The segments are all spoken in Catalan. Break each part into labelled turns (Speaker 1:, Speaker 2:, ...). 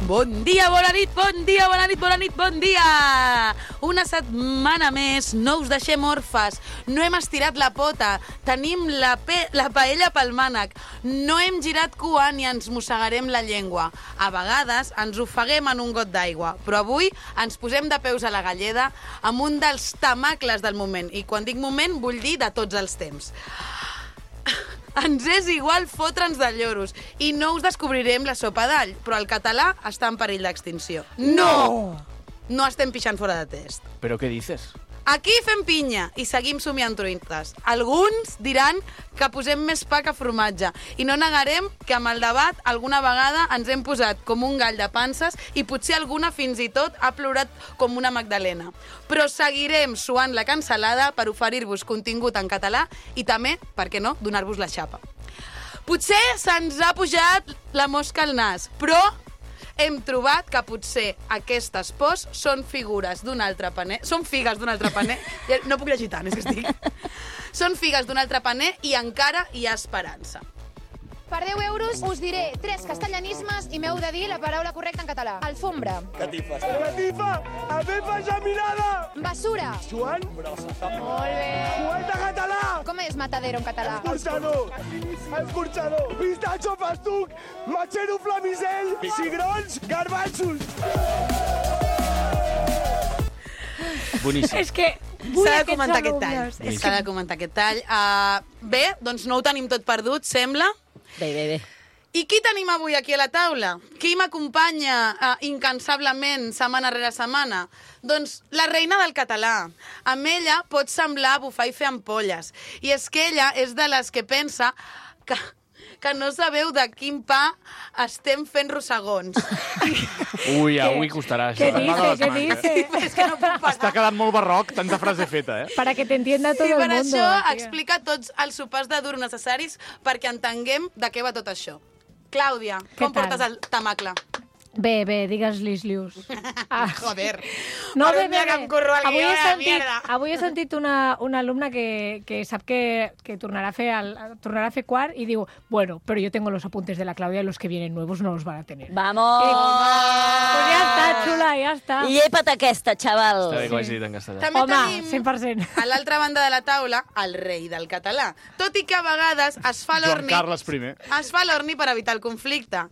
Speaker 1: Bon dia, bona nit, bon dia, bona nit, bona nit, bon dia! Una setmana més, no us deixem orfes, no hem estirat la pota, tenim la paella pel mànec, no hem girat cua ni ens mossegarem la llengua. A vegades ens ofeguem en un got d'aigua, però avui ens posem de peus a la galleda amb un dels temacles del moment, i quan dic moment vull dir de tots els temps. Ens és igual fotre'ns de lloros i no us descobrirem la sopa d'all, però el català està en perill d'extinció. No! No estem pixant fora de test.
Speaker 2: ¿Pero qué dices?
Speaker 1: Aquí fem pinya i seguim somiant truites. Alguns diran que posem més pa que formatge i no negarem que amb el debat alguna vegada ens hem posat com un gall de panses i potser alguna fins i tot ha plorat com una magdalena. Però seguirem suant la cansalada per oferir-vos contingut en català i també, per què no, donar-vos la xapa. Potser se'ns ha pujat la mosca al nas, però hem trobat que potser aquestes pors són figures d'un altre paner. Són figues d'un altre paner. No puc llegir tant, és que estic... Són figues d'un altre paner i encara hi ha esperança.
Speaker 3: Per 10 euros us diré 3 castellanismes i m'heu de dir la paraula correcta en català. Alfombra.
Speaker 4: Catifes. Catifa! Abefa geminada!
Speaker 3: Basura.
Speaker 4: Joan?
Speaker 3: Molt bé.
Speaker 4: Poeta català!
Speaker 3: Com és matadero en català?
Speaker 4: Escorxador! Escorxador! Pistatxo, festuc! Matxero, flamisell! Cigrons, garbanxos!
Speaker 2: Boníssim.
Speaker 5: És que
Speaker 1: S'ha de comentar aquest tall. S'ha de comentar aquest tall. Bé, doncs no ho tenim tot perdut, sembla.
Speaker 6: Bé.
Speaker 1: I qui tenim avui aquí a la taula? Qui m'acompanya incansablement setmana rere setmana? Doncs la reina del català. Amb ella pot semblar bufar i fer ampolles. I és que ella és de les que pensa que no sabeu de quin pa estem fent rossegons.
Speaker 2: Ui, avui costarà això.
Speaker 5: ¿Qué dice?
Speaker 1: És que no puc parar.
Speaker 2: Està quedant molt barroc, tanta frase feta, eh?
Speaker 5: Para que te entienda todo
Speaker 1: I
Speaker 5: el
Speaker 1: per
Speaker 5: mundo.
Speaker 1: això
Speaker 5: tía.
Speaker 1: explica tots els sopars de dur necessaris perquè entenguem de què va tot això. Clàudia, com
Speaker 5: tal?
Speaker 1: portes el tamacle?
Speaker 5: Bé, digues-li lius.
Speaker 1: Joder.
Speaker 5: No,
Speaker 1: Per
Speaker 5: bé,
Speaker 1: un dia que em curro el
Speaker 5: avui
Speaker 1: guió,
Speaker 5: he
Speaker 1: la
Speaker 5: sentit,
Speaker 1: mierda.
Speaker 5: avui he sentit una alumna que sap que tornarà a fer quart i diu, bueno, pero yo tengo los apuntes de la Claudia y los que vienen nuevos no los van a tener.
Speaker 6: Vamos!
Speaker 5: Pues ja està, xula, ja està.
Speaker 6: Llepa't aquesta, xaval.
Speaker 2: Està bé que ho hagi dit en castellà.
Speaker 1: També
Speaker 5: Home,
Speaker 1: tenim
Speaker 5: 100%.
Speaker 1: a l'altra banda de la taula el rei del català. Tot i que a vegades es fa
Speaker 2: Joan
Speaker 1: l'orni...
Speaker 2: Carles I.
Speaker 1: Es fa l'orni per evitar el conflicte.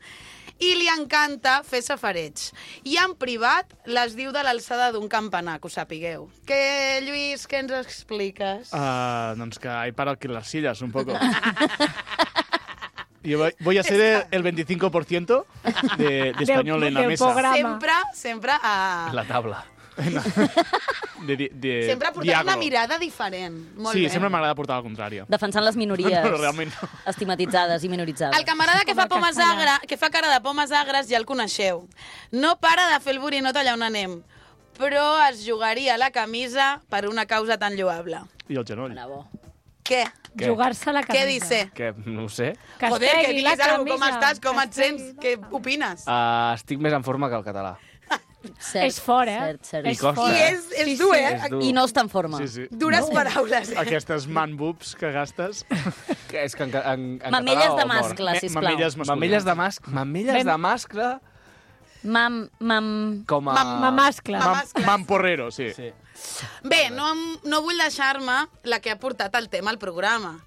Speaker 1: I li encanta fer safareig. I en privat les diu de l'alçada d'un campanar, que ho sapigueu. Que, Lluís, què ens expliques?
Speaker 2: Doncs que hay para alquilar sillas un poco. Yo voy a ser el 25% de español en la
Speaker 5: del
Speaker 2: mesa.
Speaker 5: programa.
Speaker 1: Sempre a...
Speaker 2: En la tabla.
Speaker 1: Sempre portant una mirada diferent. Molt
Speaker 2: Sí,
Speaker 1: bé.
Speaker 2: sempre m'agrada portar la contrària.
Speaker 6: Defensant les minories.
Speaker 2: No, realment no.
Speaker 6: Estigmatitzades i minoritzades.
Speaker 1: El camarada que fa
Speaker 5: Com el castellà.
Speaker 1: que fa cara de pomes agres ja el coneixeu. No para de fer el borinot allà on anem, però es jugaria la camisa per una causa tan lloable.
Speaker 2: I el genoll.
Speaker 6: Bravo.
Speaker 1: Què?
Speaker 2: Què?
Speaker 5: Jugar-se la camisa.
Speaker 1: Què dice?
Speaker 2: Que no ho sé.
Speaker 5: Que es
Speaker 1: Joder, que
Speaker 5: pegui la
Speaker 1: diguis alguna cosa, com
Speaker 5: camisa.
Speaker 1: estàs, com
Speaker 5: Que
Speaker 1: et
Speaker 5: es pegui
Speaker 1: sents, què opines?
Speaker 2: Estic més en forma que el català.
Speaker 6: Cert,
Speaker 5: És fort, eh?
Speaker 6: Cert.
Speaker 5: És
Speaker 2: costa.
Speaker 5: fort.
Speaker 1: I és dur, eh?
Speaker 2: És dur.
Speaker 6: I no està en forma.
Speaker 2: Sí, sí.
Speaker 1: Dures paraules.
Speaker 2: Aquestes man boobs que gastes. Que és que en
Speaker 6: Mamelles
Speaker 2: català
Speaker 6: de
Speaker 2: o mort?
Speaker 6: mascle, sisplau.
Speaker 2: Mamelles masculines. Mamelles de mascle
Speaker 6: Mam...
Speaker 2: com a...
Speaker 5: Mamascle.
Speaker 2: Mamporrero, sí.
Speaker 1: Bé, no vull deixar-me la que ha portat el tema al programa.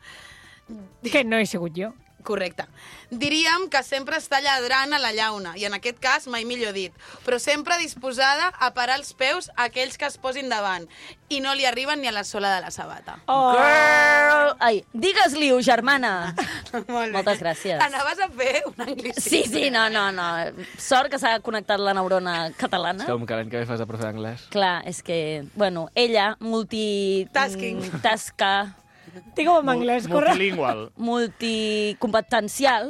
Speaker 5: Que no he sigut jo.
Speaker 1: Correcte. Diríem que sempre està lladrant a la llauna, i en aquest cas mai millor dit, però sempre disposada a parar els peus a aquells que es posin davant, i no li arriben ni a la sola de la sabata.
Speaker 5: Oh.
Speaker 6: Girl! Ai, digues-li-ho, germana.
Speaker 1: Molt bé.
Speaker 6: Moltes gràcies.
Speaker 1: Anaves a fer un anglicisme.
Speaker 6: Sí, no. Sort que s'ha connectat la neurona catalana.
Speaker 2: Com que l'any que ve fas de profe d'anglès.
Speaker 6: Clar, és que, bueno, ella, tasca,
Speaker 5: Digue-ho en anglès, correcte.
Speaker 2: Multilingual.
Speaker 6: multicompetencial.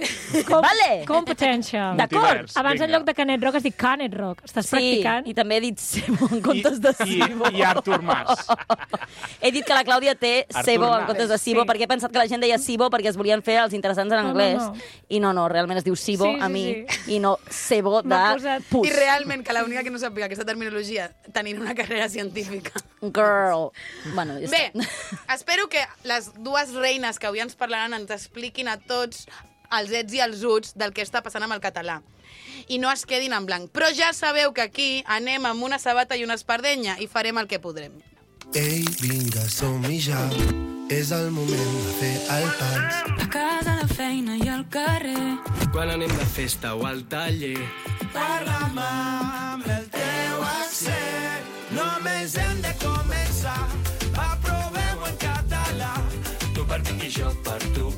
Speaker 6: Vale?
Speaker 5: Competential.
Speaker 6: D'acord.
Speaker 2: Multivers,
Speaker 5: Abans, en
Speaker 2: vinga.
Speaker 5: lloc de Canet Rock, has dit Canet Rock. Estàs practicant.
Speaker 6: i també he dit Sebo en comptes de Sibo.
Speaker 2: I Artur Mas.
Speaker 6: He dit que la Clàudia té
Speaker 2: Artur
Speaker 6: Sebo en
Speaker 2: Mas.
Speaker 6: comptes de Sibo,
Speaker 5: Sí.
Speaker 6: perquè he pensat que la gent deia Sibo perquè es volien fer els interessants en
Speaker 5: No,
Speaker 6: anglès.
Speaker 5: no.
Speaker 6: I no, realment es diu Sibo
Speaker 5: Sí,
Speaker 6: a mi,
Speaker 5: sí.
Speaker 6: i no Sebo de
Speaker 5: M'ha posat-
Speaker 6: pus.
Speaker 1: I realment que l'única que no sàpiga aquesta terminologia tenint una carrera científica.
Speaker 6: Girl. Bueno, ja
Speaker 1: Bé,
Speaker 6: està.
Speaker 1: espero que les dues reines que avui ens parlaran ens expliquin a tots els ets i els uts del que està passant amb el català. I no es quedin en blanc. Però ja sabeu que aquí anem amb una sabata i una espardenya i farem el que podrem.
Speaker 7: Ei, vinga, som-hi ja. És el moment de fer el pas.
Speaker 8: A casa, a la feina i al carrer.
Speaker 9: Quan anem de festa o al taller.
Speaker 4: Parla'm amb el teu accent. Només hem de començar. Va, provem-ho en català.
Speaker 9: Tu per mi i jo per tu.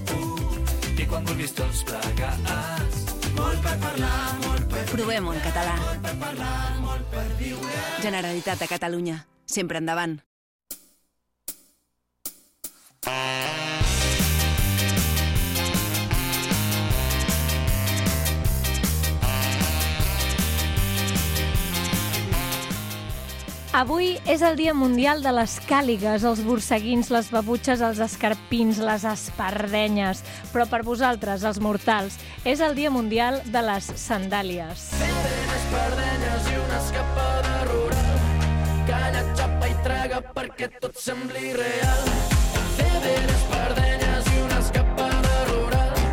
Speaker 9: I quan vulguis tots plegats.
Speaker 4: Molt per parlar, molt per
Speaker 10: Provem-ho en català.
Speaker 4: molt per parlar, molt per viure.
Speaker 10: Generalitat de Catalunya. Sempre endavant.
Speaker 5: Avui és el Dia Mundial de les càligues, els borseguins, les babutxes, els escarpins, les espardenyes. Però per vosaltres, els mortals, és el Dia Mundial de les sandàlies.
Speaker 9: Espardenyes i una escapada rural. Calla, xapa i traga perquè tot sembli real. Espardenyes i una escapada rural.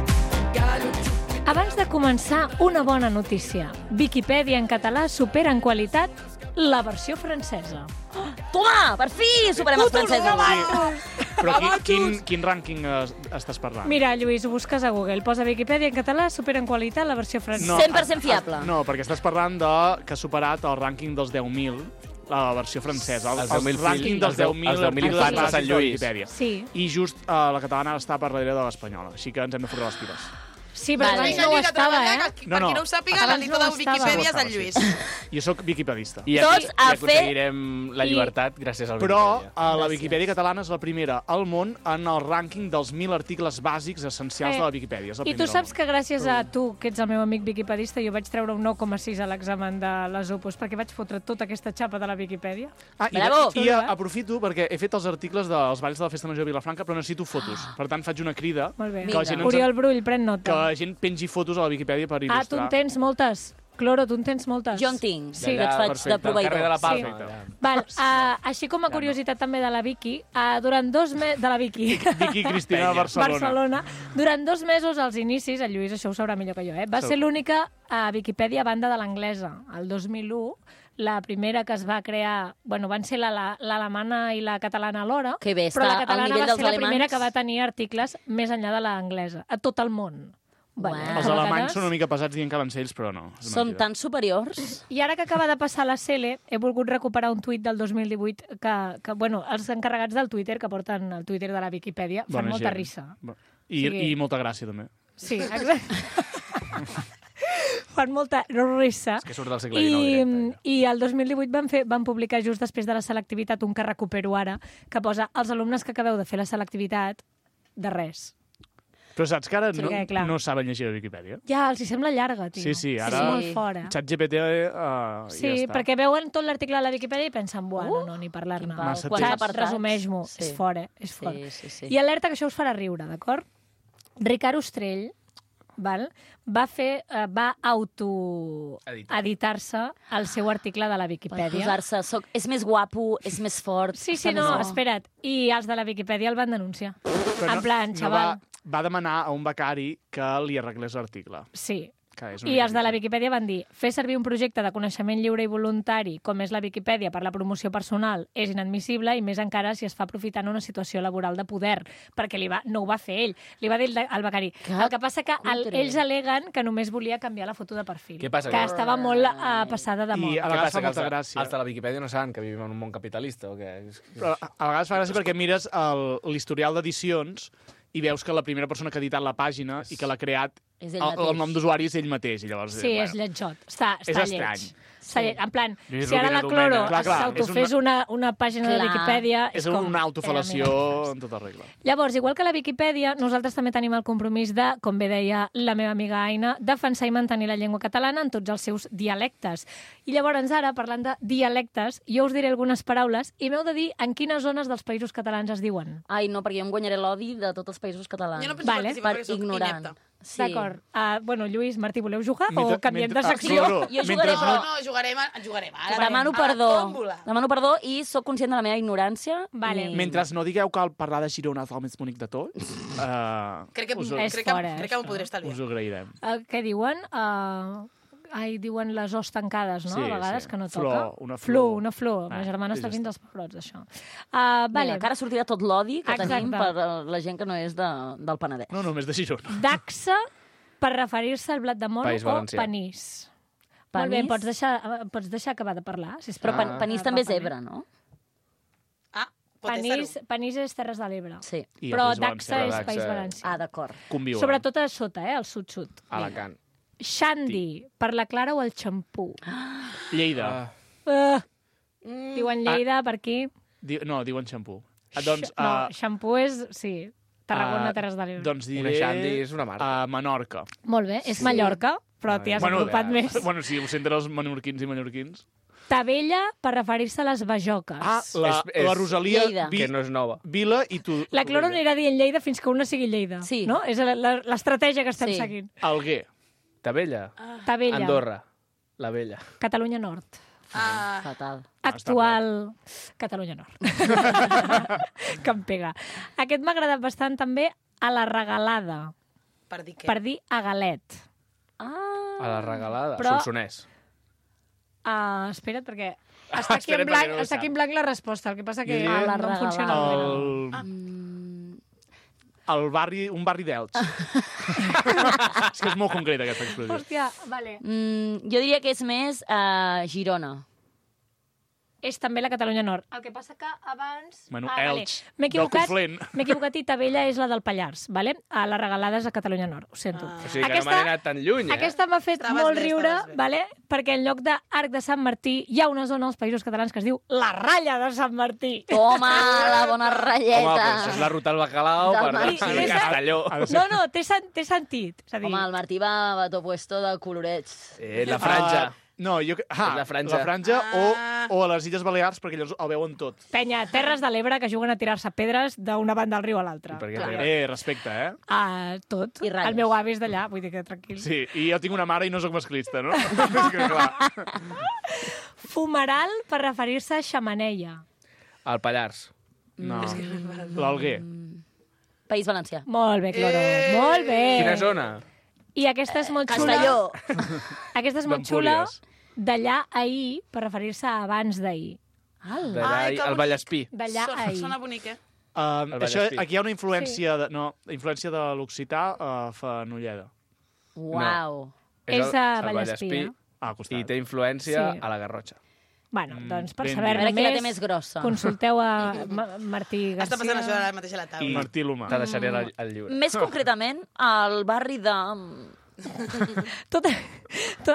Speaker 9: Callo, xupi...
Speaker 5: Abans de començar, una bona notícia. Viquipèdia en català supera en qualitat la versió francesa.
Speaker 6: Toma, per fi superem els francesos.
Speaker 2: Però quin rànquing estàs parlant?
Speaker 5: Mira, Lluís, ho busques a Google. Posa Viquipèdia en català, supera en qualitat la versió francesa.
Speaker 6: 100% fiable.
Speaker 2: No, perquè estàs parlant que ha superat el rànquing dels 10.000, la versió francesa.
Speaker 11: Els 10.000
Speaker 2: rànquing dels 10.000
Speaker 11: infants de Sant Lluís.
Speaker 2: Viquipèdia.
Speaker 5: Sí.
Speaker 2: I just la catalana està per darrere de l'espanyola, així que ens hem de fotre les piles.
Speaker 5: Sí, però
Speaker 6: Vale.
Speaker 5: abans no ho estava, eh?
Speaker 1: Per qui no ho sàpiga,
Speaker 5: Abans
Speaker 1: l'editor
Speaker 5: no
Speaker 1: de
Speaker 5: ho estava.
Speaker 1: Wikipedia és el Lluís.
Speaker 2: Jo sóc viquipedista.
Speaker 11: I
Speaker 6: Tots a fer-
Speaker 11: aconseguirem la llibertat gràcies al
Speaker 2: Però
Speaker 11: Wikipedia.
Speaker 2: la Viquipèdia catalana és la primera al món en el rànquing dels 1.000 articles bàsics essencials de la Viquipèdia. És la
Speaker 5: I tu
Speaker 2: primera
Speaker 5: saps
Speaker 2: al món.
Speaker 5: que gràcies a tu, que ets el meu amic viquipedista, jo vaig treure un 9,6 a l'examen de les Opus, perquè vaig fotre tota aquesta xapa de la Viquipèdia.
Speaker 2: Ah,
Speaker 6: Bravo!
Speaker 2: I aprofito perquè he fet els articles dels balls de la Festa Major de Vilafranca, però necessito fotos. Per tant, faig una crida
Speaker 5: Molt bé.
Speaker 2: que la gent,
Speaker 5: Oriol Brull, pren
Speaker 2: que
Speaker 5: nota.
Speaker 2: la gent pengi fotos a la Viquipèdia per
Speaker 5: Ah, tu en
Speaker 2: il·lustrar.
Speaker 5: tens moltes. Cloro, tu en tens moltes.
Speaker 6: Jo en tinc.
Speaker 5: Sí.
Speaker 6: Jo et faig
Speaker 2: perfecte.
Speaker 6: de proveïdor.
Speaker 11: Al carrer de la Palma.
Speaker 5: Sí.
Speaker 11: allà.
Speaker 5: Val, així com a curiositat també de la Vicky, durant 2 mesos... De la Vicky.
Speaker 2: Vicky Cristina de Barcelona.
Speaker 5: Durant 2 mesos, als inicis, el Lluís això ho sabrà millor que jo, va ser l'única Viquipèdia a banda de l'anglesa. El 2001, la primera que es va crear... Bueno, van ser l'alemana i la catalana alhora,
Speaker 6: Que bé,
Speaker 5: però la
Speaker 6: està al
Speaker 5: catalana
Speaker 6: nivell
Speaker 5: va
Speaker 6: dels
Speaker 5: ser la primera
Speaker 6: alemans.
Speaker 5: que va tenir articles més enllà de l'anglesa, a tot el món.
Speaker 6: Uau.
Speaker 2: Els
Speaker 5: a
Speaker 2: alemanys
Speaker 5: vegades-
Speaker 2: són una mica pesats dient que van ser ells, però no. és
Speaker 6: Són
Speaker 2: mentida.
Speaker 6: tan superiors.
Speaker 5: I ara que acaba de passar la Cele, he volgut recuperar un tuit del 2018 que bueno, els encarregats del Twitter, que porten el Twitter de la Viquipèdia, fan
Speaker 2: Bona
Speaker 5: molta
Speaker 2: gent.
Speaker 5: risa.
Speaker 2: I,
Speaker 5: sigui-
Speaker 2: I molta gràcia, també.
Speaker 5: Sí, exacte. Fan molta risa.
Speaker 11: És que surt del segle XIX directe.
Speaker 5: I el 2018 van publicar just després de la selectivitat un que recupero ara, que posa els alumnes que acabeu de fer la selectivitat de res.
Speaker 2: Però saps que ara
Speaker 5: Sí, clar.
Speaker 2: no saben llegir la Viquipèdia?
Speaker 5: Ja, els hi sembla llarga, tio.
Speaker 2: Sí, ara-
Speaker 5: És molt fora.
Speaker 2: ChatGPT
Speaker 5: Sí,
Speaker 2: ja està.
Speaker 5: perquè veuen tot l'article de la Viquipèdia i pensen, bueno, no, ni parlar-ne.
Speaker 6: quin pau.
Speaker 2: Massa
Speaker 6: Quants
Speaker 2: temps.
Speaker 6: apartats?
Speaker 5: Resumeix-m'ho.
Speaker 6: Sí.
Speaker 5: És fora, és fora.
Speaker 6: Sí, sí, sí.
Speaker 5: I alerta que això us farà riure, d'acord? Ricard Ostrell va auto-editar-se el seu article de la
Speaker 6: Per
Speaker 5: Viquipèdia.
Speaker 6: posar-se... És més guapo, és més fort.
Speaker 5: Sí,
Speaker 6: està
Speaker 5: no,
Speaker 6: més-
Speaker 5: espera't. I els de la Viquipèdia el van denunciar.
Speaker 2: Però
Speaker 5: En plan,
Speaker 2: no
Speaker 5: xaval.
Speaker 2: va demanar a un becari que li arreglés l'article.
Speaker 5: Sí.
Speaker 2: Que és una
Speaker 5: I els de la
Speaker 2: mica-
Speaker 5: Viquipèdia van dir fer servir un projecte de coneixement lliure i voluntari com és la Viquipèdia per la promoció personal és inadmissible i més encara si es fa aprofitant una situació laboral de poder, perquè no ho va fer ell, li va dir al becari. El que passa que
Speaker 6: cutre.
Speaker 5: ells aleguen que només volia canviar la foto de perfil,
Speaker 11: Què passa?
Speaker 5: que estava molt passada de
Speaker 2: I
Speaker 5: moda.
Speaker 2: a
Speaker 11: Què
Speaker 2: vegades
Speaker 11: passa,
Speaker 2: fa
Speaker 11: que
Speaker 2: molta gràcia.
Speaker 11: els de la Viquipèdia no saben que vivim en un món capitalista o què?
Speaker 2: Però a vegades fa gràcia perquè mires l'historial d'edicions i veus que la primera persona que ha editat la pàgina i que l'ha creat,
Speaker 6: És ell
Speaker 2: el
Speaker 6: mateix.
Speaker 2: nom d'usuari és ell mateix. I llavors,
Speaker 5: Sí, és lletjot. Està
Speaker 2: És
Speaker 5: lleig.
Speaker 2: estrany.
Speaker 5: Està lleig. En plan,
Speaker 2: Lluís
Speaker 5: si ara la
Speaker 2: Rovira
Speaker 5: Cloro
Speaker 2: Domènech. Clar,
Speaker 5: s'autofés una pàgina de
Speaker 6: Clar.
Speaker 5: Viquipèdia...
Speaker 2: És
Speaker 5: com...
Speaker 2: una autofalació en tota regla.
Speaker 5: Llavors, igual que la Viquipèdia, nosaltres també tenim el compromís de, com bé deia la meva amiga Aina, defensar i mantenir la llengua catalana en tots els seus dialectes. I llavors, ara, parlant de dialectes, jo us diré algunes paraules i m'heu de dir en quines zones dels països catalans es diuen.
Speaker 6: Ai, no, perquè jo em guanyaré l'odi de tots els països catalans.
Speaker 1: Jo no penso
Speaker 5: Vale.
Speaker 1: participar
Speaker 6: Per
Speaker 1: perquè soc
Speaker 6: ignorant.
Speaker 1: inepta.
Speaker 6: Sí.
Speaker 5: D'acord. Bueno, Lluís, Martí, voleu jugar o
Speaker 2: Mentre-
Speaker 5: canviem de
Speaker 2: mentre-
Speaker 5: secció?
Speaker 2: Cloro,
Speaker 6: Jo jugaré,
Speaker 2: mentre
Speaker 6: però...
Speaker 1: No, jugarem jugarem ara.
Speaker 6: Demano
Speaker 1: A la
Speaker 6: perdó.
Speaker 1: tòmbola.
Speaker 6: Demano perdó i sóc conscient de la meva ignorància.
Speaker 5: Vale.
Speaker 2: Mentre no digueu que el parlar de Girona és el més bonic de tots,
Speaker 1: Crec que
Speaker 5: És fora,
Speaker 1: crec que m'ho podré
Speaker 2: us
Speaker 1: estalviar.
Speaker 2: ho agrairem.
Speaker 5: Què diuen? Diuen les os tancades, no?
Speaker 2: Sí,
Speaker 5: A vegades
Speaker 2: sí.
Speaker 5: que no
Speaker 2: Flor,
Speaker 5: toca.
Speaker 2: una flor.
Speaker 5: Una flor. Ma germana
Speaker 2: sí,
Speaker 5: està
Speaker 2: ja
Speaker 5: fent
Speaker 2: està.
Speaker 5: dels pebrots, d'això. Vale.
Speaker 6: Vinga, que ara sortirà tot l'odi que tenim
Speaker 5: Exacte.
Speaker 6: per la gent que no és del Penedès.
Speaker 2: No, només de Girona.
Speaker 5: Daxa per referir-se al blat de moro
Speaker 11: País
Speaker 5: o
Speaker 11: Valencià.
Speaker 5: panís. Molt bé,
Speaker 6: Panís?
Speaker 5: pots deixar acabar de parlar, sisplau.
Speaker 6: Però panís també és Ebre, no?
Speaker 1: Pot
Speaker 5: Panís és Terres de l'Ebre.
Speaker 6: Sí.
Speaker 2: I
Speaker 5: Però
Speaker 2: el País
Speaker 5: Daxa
Speaker 2: Valencià.
Speaker 5: és País Valencià.
Speaker 6: Ah, d'acord.
Speaker 2: Conviuen.
Speaker 5: Sobretot a sota, al sud-sud.
Speaker 11: Alacant.
Speaker 5: Xandi, per la Clara o el xampú?
Speaker 2: Lleida.
Speaker 5: Diuen Lleida per aquí.
Speaker 2: No, diuen xampú. Doncs,
Speaker 5: No, xampú és... Sí, Tarragona, Terres de l'Ebre.
Speaker 2: Doncs diré...
Speaker 11: Una Xandi és una marca.
Speaker 2: A Menorca.
Speaker 5: Molt bé, és Mallorca, però t'hi has apropat més.
Speaker 2: Bueno, sí, ho senten els menorquins i mallorquins.
Speaker 5: Tabella per referir-se a les bajoques.
Speaker 2: La Rosalia...
Speaker 6: Lleida.
Speaker 11: Que no és nova.
Speaker 2: Vila i tu...
Speaker 5: La Cloro anirà dient Lleida fins que una sigui Lleida.
Speaker 6: Sí.
Speaker 5: No? És l'estratègia que estem
Speaker 6: Sí.
Speaker 5: seguint.
Speaker 2: Alguer.
Speaker 11: Tabella.
Speaker 5: Tabella.
Speaker 11: Andorra. La Vella.
Speaker 5: Catalunya Nord.
Speaker 6: Fatal.
Speaker 5: Actual Catalunya Nord. Que em pega. Aquest m'ha agradat bastant també a la regalada.
Speaker 1: Per dir què?
Speaker 5: Per dir a galet.
Speaker 6: Ah.
Speaker 11: A la regalada.
Speaker 5: Però-
Speaker 11: Solsonès.
Speaker 5: Espera't, perquè està aquí, en blanc, està aquí en blanc la resposta. El que passa que
Speaker 2: Jo diria
Speaker 5: no em funciona.
Speaker 2: El barri, un barri d'Elx. És que és molt concreta, aquesta expressió.
Speaker 5: Hòstia, vale.
Speaker 6: Jo diria que és més Girona.
Speaker 5: És també la Catalunya Nord. El que passa que abans...
Speaker 2: Bueno,
Speaker 5: vale.
Speaker 2: Elx,
Speaker 5: M'he
Speaker 2: del
Speaker 5: equivocat,
Speaker 2: Conflent.
Speaker 5: m'he equivocat i Tabella és la del Pallars, vale? A la regalada és a Catalunya Nord, ho sento.
Speaker 11: O sigui que no m'han anat tan lluny,
Speaker 5: Aquesta m'ha fet
Speaker 1: Estaves
Speaker 5: molt
Speaker 1: bé,
Speaker 5: riure,
Speaker 1: estaves bé.
Speaker 5: vale? Perquè en lloc d'Arc de Sant Martí hi ha una zona als Països Catalans que es diu la Ratlla de Sant Martí.
Speaker 6: Toma, la bona
Speaker 11: Home,
Speaker 6: ratlleta.
Speaker 11: doncs és la ruta al bacalao
Speaker 6: Del
Speaker 11: per
Speaker 6: Martí.
Speaker 11: a Castelló.
Speaker 5: No, té sentit. És a dir,
Speaker 6: Home, el Martí va a to puesto de colorets.
Speaker 11: La franja.
Speaker 2: No, jo...
Speaker 11: la franja.
Speaker 2: La franja o a les Illes Balears, perquè llavors el veuen tot.
Speaker 5: penya, Terres de l'Ebre que juguen a tirar-se pedres d'una banda del riu a l'altra.
Speaker 2: Respecte, eh?
Speaker 5: Tot.
Speaker 6: I ratlles.
Speaker 5: El meu avi és d'allà, vull dir que tranquil.
Speaker 2: Sí, i jo tinc una mare i no sóc masclista, no? És que, clar.
Speaker 5: Fumeral per referir-se a xamaneia.
Speaker 11: Al Pallars.
Speaker 2: No. L'Alguer.
Speaker 6: País Valencià.
Speaker 5: Molt bé, Cloro. Molt bé.
Speaker 11: Quina zona?
Speaker 5: I aquesta és molt xula.
Speaker 6: Castelló.
Speaker 5: Aquesta és molt xula.
Speaker 2: d'Empúries.
Speaker 5: D'allà ahir, per referir-se a abans d'ahir.
Speaker 11: D'allà al Vallespí.
Speaker 5: D'allà ahir.
Speaker 1: Sona bonic, eh?
Speaker 2: Això, aquí hi ha una influència, influència de l'occità a Fenolleda.
Speaker 6: Uau.
Speaker 5: És a
Speaker 11: el
Speaker 5: Vallespí, eh?
Speaker 2: Al costat.
Speaker 11: I té influència
Speaker 5: Sí.
Speaker 11: a la Garrotxa.
Speaker 5: Bueno, doncs per
Speaker 2: ben
Speaker 6: A
Speaker 5: saber-ne
Speaker 6: veure qui la té
Speaker 5: més,
Speaker 6: més grossa.
Speaker 5: consulteu a Martí Garcia.
Speaker 1: Està passant això ara mateix a la taula.
Speaker 2: I Martí Lomà.
Speaker 11: Te deixaré el llibre.
Speaker 6: Més concretament, al barri de...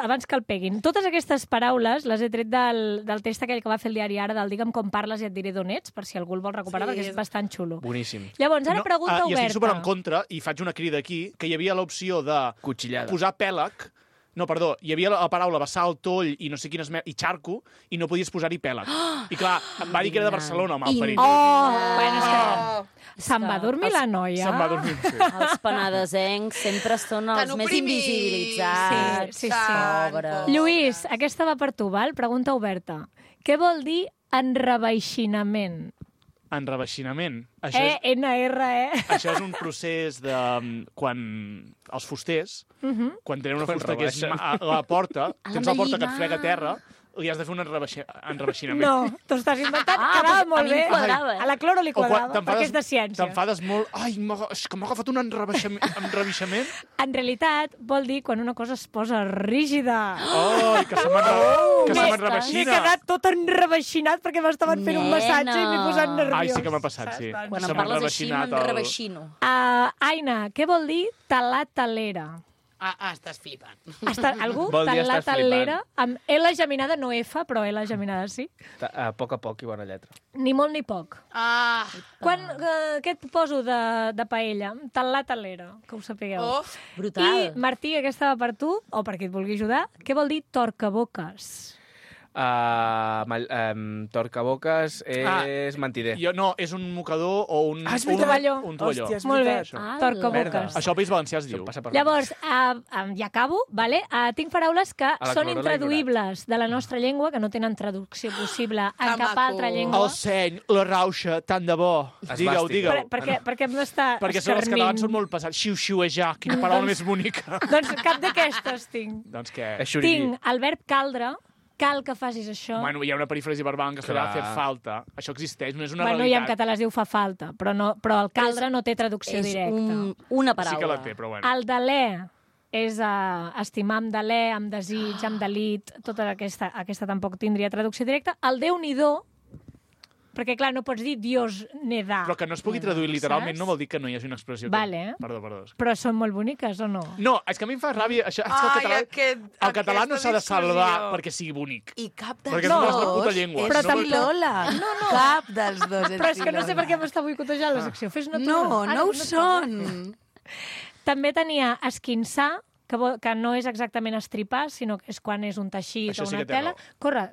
Speaker 5: Abans que el peguin. Totes aquestes paraules les he tret del text aquell que va fer el diari Ara, del Digue'm com parles i et diré d'on ets, per si algú el vol recuperar,
Speaker 1: Sí,
Speaker 5: perquè és bastant xulo.
Speaker 11: Boníssim.
Speaker 5: Llavors, ara pregunta
Speaker 2: I estic super en
Speaker 5: oberta.
Speaker 2: contra, i faig una crida aquí, que hi havia l'opció de
Speaker 11: Cuchillada.
Speaker 2: posar pèlag. No, perdó, hi havia la paraula bassal, toll i no sé quines... i xarco, i no podies posar-hi pèlag. I clar, em va dir que era de Barcelona, el malparit.
Speaker 5: Bueno, és que se'n va dormir la noia.
Speaker 2: Se'n va dormir, sí.
Speaker 6: Els penedesencs sempre són els
Speaker 1: Tan
Speaker 6: més
Speaker 1: oprimits.
Speaker 6: invisibilitzats.
Speaker 5: Sí.
Speaker 6: Pobres.
Speaker 5: Lluís, aquesta va per tu, val? Pregunta oberta. Què vol dir enreveixinament?
Speaker 2: Enreveixinament.
Speaker 5: E-N-R-E.
Speaker 2: Això és un procés de... quan els fusters, quan tenen una fusta que és a la porta, tens la porta que et frega a terra, li has de fer un enreveixinament.
Speaker 5: No, t'ho estàs inventant.
Speaker 6: Ah,
Speaker 5: Quedava
Speaker 6: doncs a
Speaker 5: molt
Speaker 6: mi
Speaker 5: bé.
Speaker 6: em quadrava, eh?
Speaker 5: A la Cloro li
Speaker 2: O quan
Speaker 5: quadrava, perquè és de ciències.
Speaker 2: T'enfades molt. Ai, és que m'ha agafat un enreveixament.
Speaker 5: En realitat, vol dir quan una cosa es posa rígida.
Speaker 2: Ai, que se
Speaker 5: M'he
Speaker 2: m'enreveixina.
Speaker 5: quedat tot enreveixinat perquè m'estaven fent un massatge i m'he posat nerviós.
Speaker 2: Ai, sí que m'ha passat, sí.
Speaker 6: Quan
Speaker 2: Se
Speaker 6: em
Speaker 2: m'ha
Speaker 6: parles així,
Speaker 2: enreveixinat
Speaker 6: m'enreveixino.
Speaker 5: Aina, què vol dir talar-talera?
Speaker 1: Estàs flipant.
Speaker 5: Algú?
Speaker 11: Vol dir estàs
Speaker 5: Talar-talera? Amb L geminada, no F, però L geminada sí.
Speaker 11: A poc i bona lletra.
Speaker 5: Ni molt ni poc. Què et poso de paella? Talar-talera, que ho sapigueu.
Speaker 1: Oh,
Speaker 6: Brutal.
Speaker 5: I, Martí, aquesta va per tu, o per qui et vulgui ajudar. Què vol dir torcaboques?
Speaker 11: Torcaboques és mentider.
Speaker 2: No, és un mocador o un...
Speaker 11: És
Speaker 5: tovalló.
Speaker 2: Un tovalló.
Speaker 11: Hòstia, és
Speaker 5: Molt bé,
Speaker 11: veritat.
Speaker 5: torcaboques.
Speaker 2: Això al País Valencià es diu.
Speaker 5: Llavors, ja acabo, vale? Tinc paraules que
Speaker 11: la
Speaker 5: són
Speaker 11: Corola
Speaker 5: intraduïbles de la nostra llengua, que no tenen traducció possible en cap altra llengua.
Speaker 2: El seny, la rauxa, tant de bo. Digueu.
Speaker 5: Per què hem d'estar
Speaker 2: Perquè els catalans són molt passats. Xiu-xiuejar, quina paraula més bonica.
Speaker 5: Doncs cap d'aquestes tinc.
Speaker 2: Doncs què?
Speaker 5: Tinc el verb caldre, cal que facis això.
Speaker 2: Bueno, hi ha una perífrasi verbal en castellà de fer falta. Això existeix, no és una
Speaker 5: bueno,
Speaker 2: realitat.
Speaker 5: i en català es diu fa falta, però el caldre no té traducció directa.
Speaker 6: És una paraula.
Speaker 2: Sí que la té, però bueno.
Speaker 5: El delè és estimar amb delè, amb desig, amb delit, tota aquesta tampoc tindria traducció directa. El Déu-n'hi-do, perquè, clar, no pots dir Dios ne da.
Speaker 2: Però que no es pugui traduir literalment no vol dir que no hi hagi una expressió.
Speaker 5: Vale.
Speaker 2: Perdó.
Speaker 5: Però són molt boniques, o no?
Speaker 2: No, és que a mi em fa ràbia... Això, el català no s'ha de salvar perquè sigui bonic.
Speaker 1: I cap
Speaker 2: dels dos és la puta llengua.
Speaker 1: és filola. No. Cap dels dos és
Speaker 5: Però és que no sé per què m'està boicotejant la secció. Fes-ne tu.
Speaker 1: No ho són.
Speaker 5: També tenia esquinçar, que no és exactament estripar, sinó que és quan és un teixit o una tela. Corre,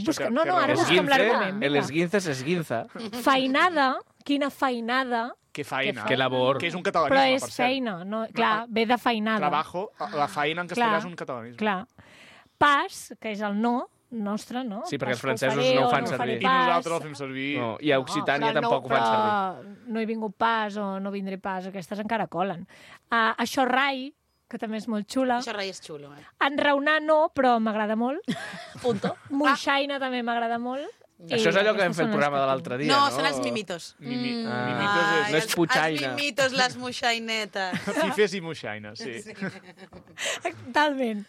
Speaker 5: busca. No, ara busca'm l'argument.
Speaker 11: El esguince s'esguinza.
Speaker 5: Feinada, quina feinada.
Speaker 2: Que feina.
Speaker 11: Que labor.
Speaker 2: Que és un catalanisme,
Speaker 5: però
Speaker 2: per
Speaker 5: és
Speaker 2: cert.
Speaker 5: feina, no? Clar, ve de feinada.
Speaker 2: Trabajo, la feina en castellà és un catalanisme.
Speaker 5: Clar. Pas, que és el no, nostre, no?
Speaker 11: Sí, perquè els francesos no ho fan servir.
Speaker 2: I nosaltres el fem servir.
Speaker 11: No, i a Occitània tampoc ho fan servir.
Speaker 5: No he vingut pas o no vindré pas, aquestes encara colen. Això rai, que també és molt xula.
Speaker 1: Això rai és xulo,
Speaker 5: Enraonar no, però m'agrada molt.
Speaker 6: Punto.
Speaker 5: Moixaina també m'agrada molt.
Speaker 11: Això és allò que vam fer el programa de l'altre dia, no?
Speaker 1: No, són els mimitos.
Speaker 2: Mimitos
Speaker 11: no és putxaina.
Speaker 1: Els mimitos, les moixainetes.
Speaker 2: Fifes i moixaines, sí.
Speaker 5: Totalment.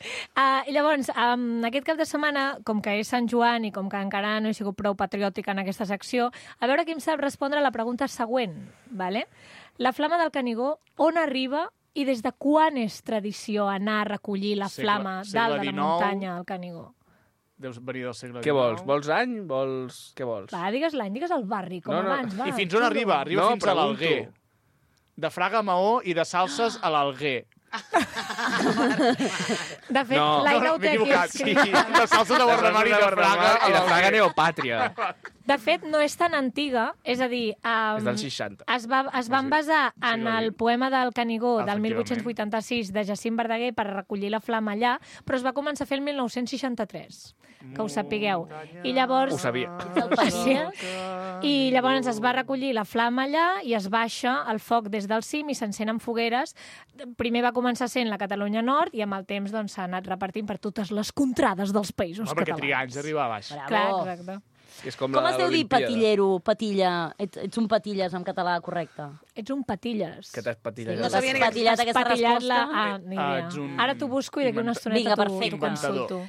Speaker 5: I llavors, aquest cap de setmana, com que és Sant Joan i com que encara no he sigut prou patriòtica en aquesta secció, a veure qui em sap respondre a la pregunta següent. Vale? La flama del Canigó, on arriba i des de quan és tradició anar a recollir la flama dalt de la muntanya al Canigó?
Speaker 2: Deus venir del segle XIX.
Speaker 11: Què vols? Vols any? Què vols?
Speaker 5: Va, digues l'any, digues el barri, com abans. Va,
Speaker 2: I fins on arriba? Arriba fins a l'Alguer. De Fraga a Maó i de Salses a l'Alguer.
Speaker 5: De fet, l'Aina ho té aquí escrit.
Speaker 2: Sí, de Salses a Guardamar i de Fraga
Speaker 11: i de Fraga Neopàtria.
Speaker 5: De fet, no és tan antiga, és a dir...
Speaker 11: és del 60.
Speaker 5: Es van basar en el poema del Canigó del 1886 de Jacint Verdaguer per recollir la flama allà, però es va començar a fer el 1963, que ho sapigueu. I llavors...
Speaker 11: Ho sabia.
Speaker 5: I llavors es va recollir la flama allà i es baixa el foc des del cim i s'encenen fogueres. Primer va començar sent la Catalunya Nord i amb el temps s'ha anat repartint per totes les contrades dels països catalans.
Speaker 2: Perquè trigar anys arribar a baix.
Speaker 5: Clar, exacte.
Speaker 6: Com es deu dir patillero, patilla? Ets un patilles en català, correcte?
Speaker 5: Ets un patilles.
Speaker 11: Que t'has patillat?
Speaker 6: No sabia que patillat aquesta resposta.
Speaker 5: Ni idea. Ara t'ho busco i d'aquí una estoneta t'ho consulto.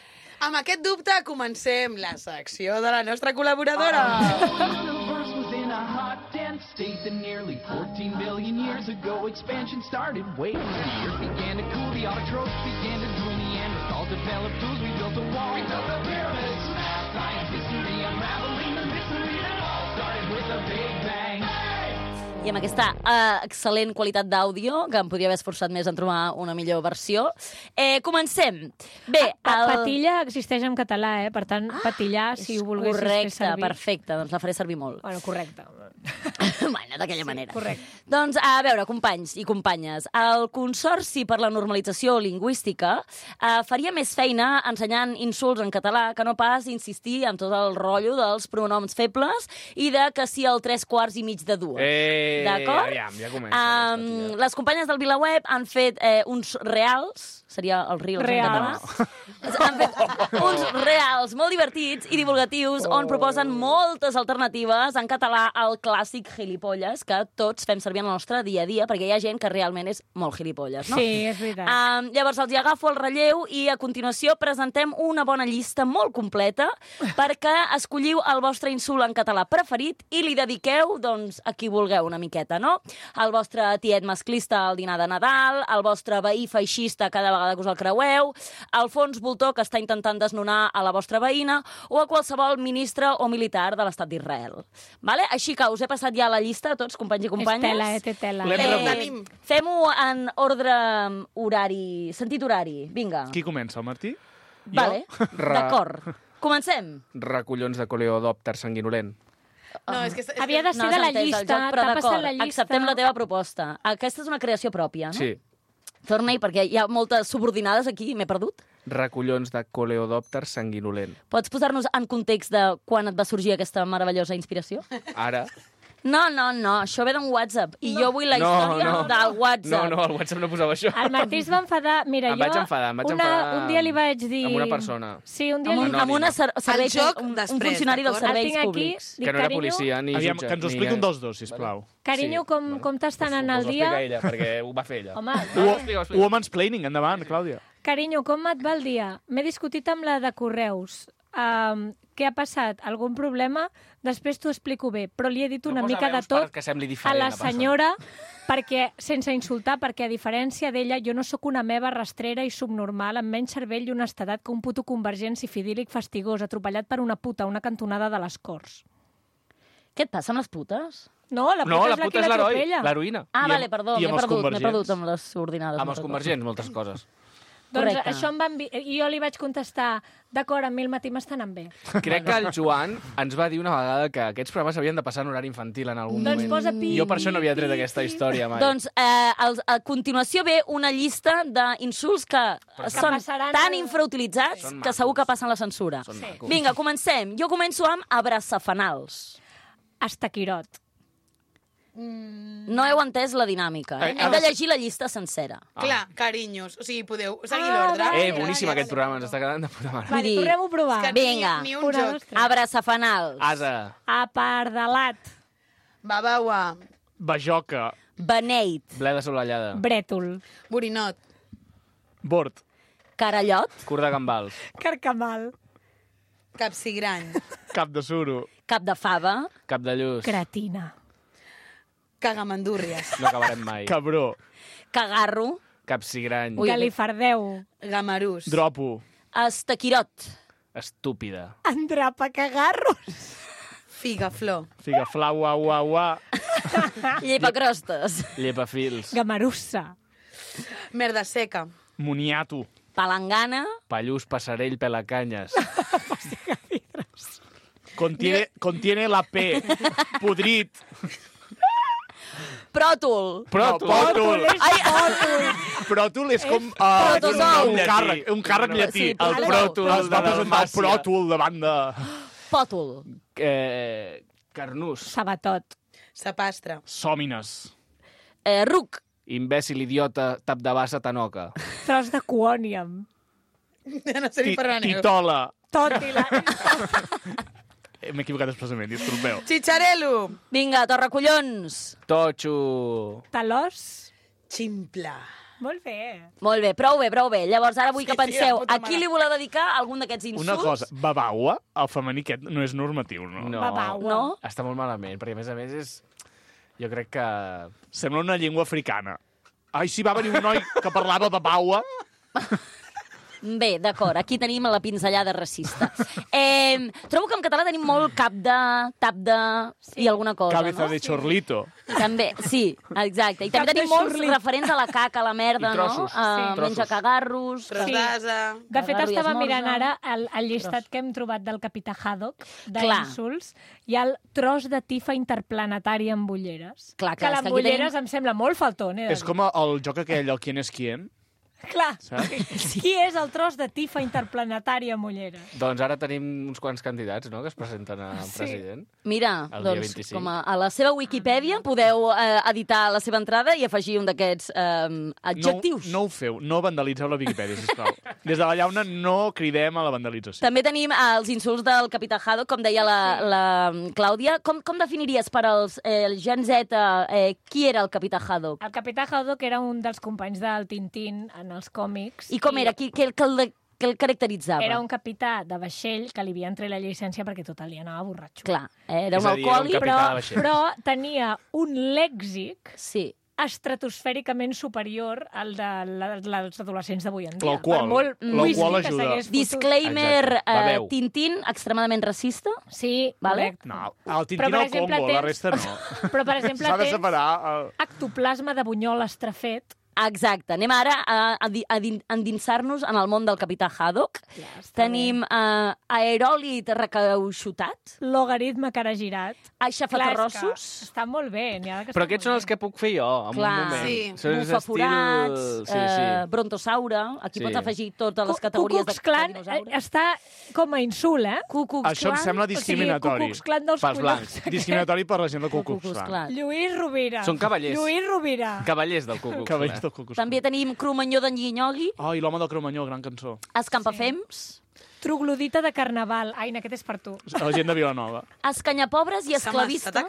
Speaker 1: Amb aquest dubte comencem la secció de la nostra col·laboradora.
Speaker 9: State that nearly 14 billion years ago expansion started. Wait, the earth began to cool, the autotrophs began to drool, Neanderthals developed tools, we built a wall, we built the pyramids, math, science, history, unraveling the mystery that all started with a big bang.
Speaker 6: I amb aquesta excel·lent qualitat d'àudio, que em podria haver esforçat més en trobar una millor versió, comencem. Bé,
Speaker 5: Patilla existeix en català, per tant, patillar, si ho volguessis fer servir.
Speaker 6: Correcte, perfecte, doncs la faré servir molt.
Speaker 5: Bueno, correcte.
Speaker 6: Bueno, d'aquella manera.
Speaker 5: Correcte.
Speaker 6: Doncs, a veure, companys i companyes, el Consorci per la Normalització Lingüística faria més feina ensenyant insults en català que no pas insistir en tot el rotllo dels pronoms febles i de que sí el 3/4 i mig de dues. D'acord?
Speaker 11: Ja comença.
Speaker 6: Les companyes del VilaWeb han fet uns reals, seria el reels en català. Han fet uns reals molt divertits i divulgatius on proposen moltes alternatives en català al clàssic gilipolles que tots fem servir en el nostre dia a dia, perquè hi ha gent que realment és molt gilipolles, no?
Speaker 5: Sí, és veritat.
Speaker 6: Llavors els hi agafo el relleu i a continuació presentem una bona llista molt completa perquè escolliu el vostre insult en català preferit i li dediqueu, doncs, a qui vulgueu una miqueta, no? El vostre tiet masclista al dinar de Nadal, el vostre veí feixista cada vegada que us el creueu, el fons voltor que està intentant desnonar a la vostra veïna o a qualsevol ministre o militar de l'estat d'Israel. Vale? Així que us he passat ja la llista a tots, companys i companyes.
Speaker 5: Té tela.
Speaker 6: Fem-ho en ordre horari, sentit horari. Vinga.
Speaker 2: Qui comença, el Martí?
Speaker 6: Vale, d'acord. Comencem.
Speaker 11: Recollons de coleòdopter sanguinolent.
Speaker 1: No, és que...
Speaker 5: Havia de ser de la llista, t'ha passat la llista.
Speaker 6: Acceptem la teva proposta. Aquesta és una creació pròpia, no?
Speaker 11: Sí.
Speaker 6: Torna-hi, perquè hi ha moltes subordinades aquí, m'he perdut.
Speaker 11: Recollons de coleòdopter sanguinolent.
Speaker 6: Pots posar-nos en context de quan et va sorgir aquesta meravellosa inspiració?
Speaker 11: Ara...
Speaker 6: No, això ve d'un WhatsApp. I jo vull la història del WhatsApp.
Speaker 11: No, al WhatsApp no posava això.
Speaker 5: El Martí es va enfadar. Mira,
Speaker 11: Em vaig enfadar
Speaker 5: un dia li vaig dir...
Speaker 11: Amb una persona.
Speaker 5: Sí, un dia
Speaker 6: amb una un funcionari dels serveis públics.
Speaker 11: Que no era policia ni jutge.
Speaker 2: Que ens ho expliqui un dels dos, sisplau.
Speaker 5: Carinyo, com t'està anant el dia?
Speaker 11: Ho explica ella, perquè ho va fer ella.
Speaker 5: Home,
Speaker 2: Woman's Planning, endavant, Clàudia.
Speaker 5: Carinyo, com et va el dia? M'he discutit amb la de Correus. Què ha passat? Algun problema? Després t'ho explico bé, però li he dit una mica de tot a la senyora, perquè, sense insultar, perquè a diferència d'ella, jo no sóc una meva rastrera i subnormal, amb menys cervell i honestedat que un puto convergent sifidílic fastigós, atropellat per una puta a una cantonada de les Corts.
Speaker 6: Què et passa amb les putes?
Speaker 5: No, la puta és la que l'atropella.
Speaker 11: L'heroïna.
Speaker 6: Ah, vale, perdó, m'he perdut amb les subordinades.
Speaker 11: Amb els convergents, moltes coses.
Speaker 5: Doncs això i jo li vaig contestar, d'acord, a mi el matí m'estan anant bé.
Speaker 11: Crec que el Joan ens va dir una vegada que aquests programes havien de passar en horari infantil en algun moment.
Speaker 5: Doncs posa pi.
Speaker 11: Jo per això no havia tret aquesta història mai.
Speaker 6: Doncs a continuació ve una llista d'insults que són tan infrautilitzats que segur que passen la censura. Vinga, comencem. Jo començo amb abraçafanals.
Speaker 5: Estaquirot.
Speaker 6: No heu entès la dinàmica. Hem de llegir la llista sencera.
Speaker 1: Clar, carinyos. O sigui, podeu seguir l'ordre.
Speaker 11: Boníssim aquest programa, ens està quedant de puta mare.
Speaker 5: Vale, tornem-ho a provar.
Speaker 6: Vinga, abraçafanals.
Speaker 11: Asa.
Speaker 5: Apardalat.
Speaker 1: Babaua.
Speaker 2: Bajoca.
Speaker 6: Beneit.
Speaker 11: Bleda solellada.
Speaker 5: Brètol.
Speaker 1: Borinot.
Speaker 2: Bord.
Speaker 6: Carallot.
Speaker 11: Curt de gambals.
Speaker 5: Carcamal.
Speaker 1: Capsigrany.
Speaker 2: Cap de suro.
Speaker 6: Cap de fava.
Speaker 11: Cap de lluç.
Speaker 5: Cretina.
Speaker 1: Cagamandúrries.
Speaker 11: No acabarem mai.
Speaker 2: Cabró.
Speaker 6: Cagarro.
Speaker 11: Capsigrany.
Speaker 5: Galifardeu.
Speaker 1: Gamarús.
Speaker 2: Dropo.
Speaker 6: Estaquirot.
Speaker 11: Estúpida.
Speaker 5: Endrapacagarros.
Speaker 1: Figaflor.
Speaker 2: Figaflau, uau.
Speaker 6: Llepacrostes.
Speaker 11: Llepafils.
Speaker 5: Gamarussa.
Speaker 1: Merda seca.
Speaker 2: Moniato.
Speaker 6: Palangana.
Speaker 11: Pallús, passarell, pelacanyes.
Speaker 2: Contiene la P. Podrit.
Speaker 6: Pròtol.
Speaker 2: Pròtol. Pròtol és com un càrrec llatí.
Speaker 11: El pròtol.
Speaker 2: Es va presentar el pròtol davant de...
Speaker 6: Pòtol.
Speaker 11: Carnús.
Speaker 5: Sabatot.
Speaker 1: Sapastre.
Speaker 2: Sòmines.
Speaker 6: Ruc.
Speaker 11: Imbècil, idiota, tap de bassa, tanoca.
Speaker 5: Tros de cuòniam.
Speaker 1: No sé ni parlar neu.
Speaker 2: Titola.
Speaker 5: Tòtila.
Speaker 2: M'he equivocat expressament, disculpeu.
Speaker 1: Chicharelo.
Speaker 6: Vinga, torracollons.
Speaker 11: Totxo.
Speaker 5: Talòs.
Speaker 1: Ximpla.
Speaker 5: Molt bé.
Speaker 6: Molt bé, prou bé. Llavors ara vull que penseu, a qui li voleu dedicar algun d'aquests insults?
Speaker 2: Una cosa, babaua, el femení aquest no és normatiu, no?
Speaker 11: No,
Speaker 5: Babaua.
Speaker 6: No?
Speaker 11: Està molt malament, perquè a més és... Jo crec que...
Speaker 2: Sembla una llengua africana. Ai, sí, va venir un noi que parlava babaua.
Speaker 6: Bé, d'acord, aquí tenim la pinzellada racista. Trobo que en català tenim molt cap de, tap de i alguna cosa,
Speaker 2: Cabeza
Speaker 6: no?
Speaker 2: de chorlito.
Speaker 6: També, sí, exacte. I també tenim molts referents a la caca, a la merda,
Speaker 11: I trossos.
Speaker 6: no?
Speaker 11: Sí.
Speaker 6: Menja cagarros.
Speaker 1: Tros d'asa.
Speaker 5: De fet,
Speaker 6: Cagarro i
Speaker 5: estava
Speaker 6: esmorza.
Speaker 5: mirant ara el llistat que hem trobat del capità Haddock,
Speaker 6: Clar.
Speaker 5: d'insults. Hi ha el tros de tifa interplanetari amb ulleres.
Speaker 6: Clar,
Speaker 5: que
Speaker 6: és que aquí
Speaker 5: l'ambulleres
Speaker 6: tenim-
Speaker 5: em sembla molt faltón.
Speaker 2: És com el joc aquell, el Quién és quién.
Speaker 5: Clar.
Speaker 2: Saps?
Speaker 5: Qui és el tros de tifa interplanetari amb ulleres?
Speaker 11: Doncs ara tenim uns quants candidats, no?, que es presenten a president.
Speaker 6: Mira,
Speaker 11: El dia
Speaker 6: doncs,
Speaker 11: 25.
Speaker 6: com a la seva Wikipedia podeu editar la seva entrada i afegir un d'aquests adjectius.
Speaker 2: No ho feu, no vandalitzeu la Viquipèdia, sisplau. Des de la llauna no cridem a la vandalització.
Speaker 6: També tenim els insults del capità Haddock, com deia la Clàudia. Com definiries per als Gen Z qui era el capità Haddock?
Speaker 5: El capità Haddock era un dels companys del Tintín en els còmics.
Speaker 6: I com era? Què el caracteritzava?
Speaker 5: Era un capità de vaixell que li havien tret la llicència perquè tot el dia anava borratxo.
Speaker 6: Clar, era
Speaker 11: És
Speaker 6: un
Speaker 11: a dir, era un
Speaker 6: alcohòlic,
Speaker 11: capità de vaixell.
Speaker 5: Però tenia un lèxic
Speaker 6: sí.
Speaker 5: estratosfèricament superior al dels adolescents d'avui en dia.
Speaker 2: L'alcohol.
Speaker 5: Per molt
Speaker 2: L'alcohol
Speaker 5: whisky que
Speaker 2: ajuda.
Speaker 5: s'hagués fotut.
Speaker 6: Disclaimer,
Speaker 11: Exacte. Beveu.
Speaker 6: Tintín, extremadament racista.
Speaker 5: Sí,
Speaker 6: Vale.
Speaker 5: correcte.
Speaker 2: No, el Tintín
Speaker 5: Però, per
Speaker 2: al
Speaker 5: exemple,
Speaker 2: combo, la resta no.
Speaker 5: Però, per exemple,
Speaker 2: S'ha de
Speaker 5: tens
Speaker 2: separar...
Speaker 5: ectoplasma de bunyol estrafet,
Speaker 6: Exacte. Anem ara a endinsar-nos en el món del capità Haddock. Tenim aeròlit recauxutat.
Speaker 5: Logaritme cara girat.
Speaker 6: Aixafaterrossos.
Speaker 5: Està molt bé.
Speaker 11: Però aquests són els que puc fer jo, en un moment.
Speaker 6: Bufaforats, brontosaure. Aquí pots afegir totes les categories de dinosaure.
Speaker 5: Està com a insult,
Speaker 2: Això em sembla discriminatori.
Speaker 5: Pels
Speaker 11: blancs.
Speaker 2: Discriminatori per la gent del Ku Klux Klan.
Speaker 5: Lluís Rovira.
Speaker 11: Són cavallers.
Speaker 5: Lluís Rovira.
Speaker 11: Cavallers del Ku Klux Klan.
Speaker 6: També tenim Cromanyó d'en Guinyogui.
Speaker 2: I l'home del Cromanyó, gran cançó.
Speaker 6: Escampafems.
Speaker 5: Troglodita de carnaval. Aina, aquest és per tu.
Speaker 2: La gent de Vilanova.
Speaker 6: Escanyapobres i esclavista.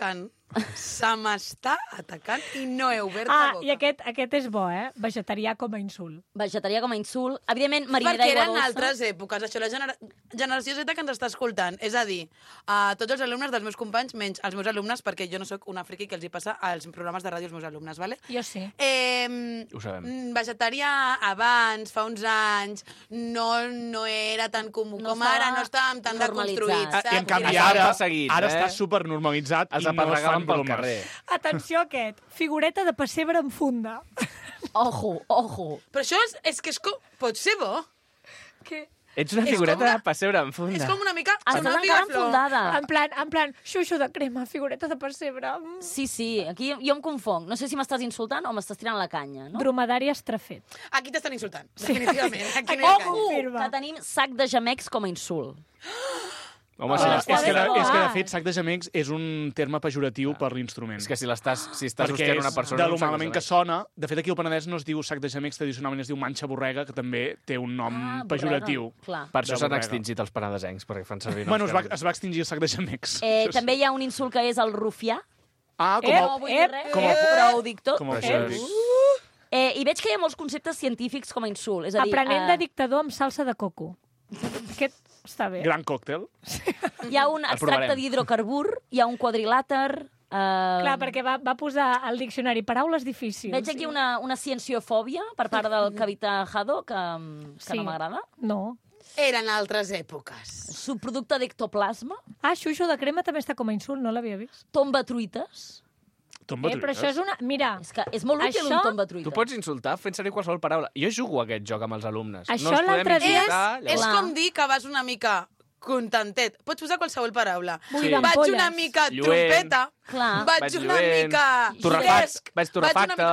Speaker 1: Se m'està atacant i no he obert la boca.
Speaker 5: I aquest és bo, vegetarià com a insult.
Speaker 6: Vegetarià com a insult. Evidentment, mariner d'aigua dolça.
Speaker 1: Perquè eren altres èpoques. Això, la generació Z que ens està escoltant. És a dir, tots els alumnes dels meus companys, menys els meus alumnes, perquè jo no sóc una friqui que els hi passa als programes de ràdio als meus alumnes, ¿vale?
Speaker 5: Jo sí.
Speaker 11: Ho sabem.
Speaker 1: Vegetarià abans, fa uns anys, no era tan comú com ara, no estàvem tan deconstruïts.
Speaker 2: I en canvi ara està supernormalitzat i no es fan
Speaker 11: pel carrer.
Speaker 5: Atenció a aquest. Figureta de pessebre en funda.
Speaker 6: Ojo.
Speaker 1: Però això és que pot ser bo.
Speaker 5: Què?
Speaker 11: Ets una figureta de pessebre en funda.
Speaker 1: És com una mica...
Speaker 6: Estàs encara enfundada.
Speaker 5: En plan, xuxo de crema, figureta de pessebre.
Speaker 6: Sí, aquí jo em confonc. No sé si m'estàs insultant o m'estàs tirant la canya, no?
Speaker 5: Dromedari estrafet.
Speaker 1: Aquí t'estan insultant, definitivament.
Speaker 6: Aquí no que tenim sac de gemecs com a insult.
Speaker 2: Home, és que de fet sac de gemecs és un terme pejoratiu per l'instrument.
Speaker 11: És que si estàs hostigant una persona...
Speaker 2: Perquè de lo malament que sona... De fet, aquí al Penedès no es diu sac de gemecs, tradicionalment es diu manxa borrega, que també té un nom pejoratiu.
Speaker 11: Per això s'han extingit els penedesencs, perquè fan servir...
Speaker 2: Bueno, es va extingir el sac de gemecs.
Speaker 6: També hi ha un insult que és el rufià.
Speaker 1: No vull dir res,
Speaker 6: però ho dic tot.
Speaker 2: I
Speaker 6: veig que hi ha molts conceptes científics com a insult. És a dir,
Speaker 5: aprenent de dictador amb salsa de coco. Aquest està bé.
Speaker 2: Gran còctel.
Speaker 6: Hi ha un extracte d'hidrocarbur, hi ha un quadrilàter...
Speaker 5: Clar, perquè va posar al diccionari paraules difícils.
Speaker 6: Veig aquí una cienciofòbia per part del capità Haddock, que no m'agrada.
Speaker 5: No.
Speaker 1: Eren altres èpoques.
Speaker 6: Subproducte d'ectoplasma.
Speaker 5: Xuxo de crema també està com a insult, no l'havia vist.
Speaker 6: Tombatruites.
Speaker 5: Però això és una... Mira...
Speaker 6: És que és molt útil un tombatruites.
Speaker 11: Tu pots insultar fent servir qualsevol paraula. Jo jugo a aquest joc amb els alumnes.
Speaker 5: Això l'altre dia...
Speaker 1: És com dir que vas una mica contentet. Pots posar qualsevol paraula.
Speaker 5: Sí.
Speaker 1: Vaig una mica trompeta. Vaig una mica...
Speaker 11: Vaig torrefacte.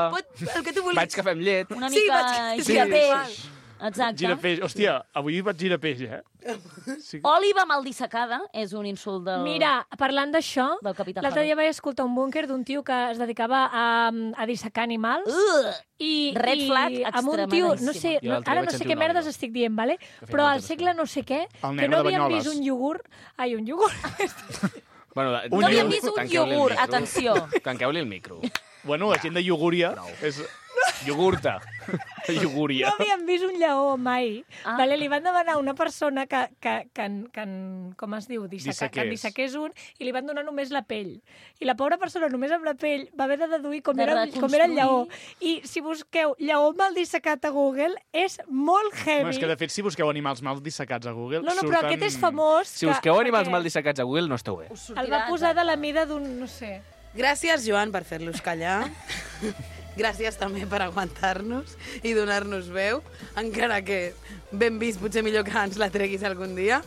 Speaker 1: El que tu vulguis.
Speaker 11: Vaig cafè amb llet.
Speaker 6: Una mica girapeix. Exacte.
Speaker 2: Girapeix. Hòstia, avui vaig girapeix,
Speaker 6: Sí. Òliba mal dissecada és un insult del...
Speaker 5: Mira, parlant d'això,
Speaker 6: l'altre
Speaker 5: dia vaig escoltar un búnquer d'un tio que es dedicava a dissecar animals.
Speaker 6: Red flag
Speaker 5: amb un tio, no sé, ara no sé què merdes estic dient, vale? Però al segle no sé què, que no havíem vist un iogurt... Ai, un iogurt.
Speaker 6: No havíem vist un iogurt, atenció.
Speaker 11: Tanqueu-li el micro.
Speaker 2: Bueno, la gent de iogúria és...
Speaker 11: Iogurta. Iogúria.
Speaker 5: No havíem vist un lleó mai. Vale, li van demanar a una persona que com es diu? Que en dissequés un, i li van donar només la pell. I la pobra persona, només amb la pell, va haver de deduir com era el lleó. I si busqueu lleó mal dissecat a Google, és molt heavy.
Speaker 2: És que, de fet, si busqueu animals mal dissecats a Google...
Speaker 5: No, però aquest és famós.
Speaker 11: Si busqueu animals mal dissecats a Google, no esteu bé.
Speaker 5: El va posar de la mida d'un, no sé...
Speaker 1: Gràcies, Joan, per fer-los callar. Gràcies també per aguantar-nos i donar-nos veu, encara que ben vist, potser millor que ens la treguis algun dia.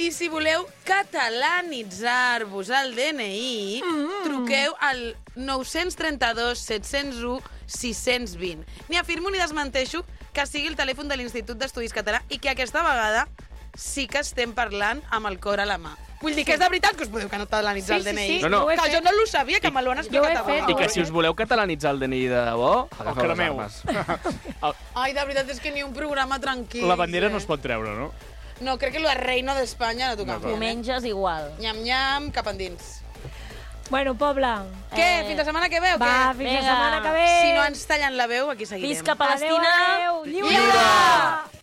Speaker 1: I si voleu catalanitzar-vos el DNI, truqueu al 932 701 620. Ni afirmo ni desmenteixo que sigui el telèfon de l'Institut d'Estudis Català i que aquesta vegada sí que estem parlant amb el cor a la mà. Vull dir que és de veritat que us podeu catalanitzar el DNI.
Speaker 11: No.
Speaker 1: Que jo no ho sabia, que me l'ho han explicat abans.
Speaker 11: I que si us voleu catalanitzar el DNI de debò, agafeu les armes.
Speaker 1: Ai, de veritat, és que ni un programa tranquil.
Speaker 2: La bandera no es pot treure, no?
Speaker 1: No, crec que la reina d'Espanya no toca.
Speaker 6: Diumenges igual.
Speaker 1: Nyam-nyam, cap endins.
Speaker 5: Bueno, poble.
Speaker 1: Què? Fins la setmana que ve o què?
Speaker 5: Va, fins la setmana que ve.
Speaker 1: Si no ens tallen la veu, aquí seguirem.
Speaker 6: Visca Palestina!
Speaker 5: Adéu, adéu. Lliure!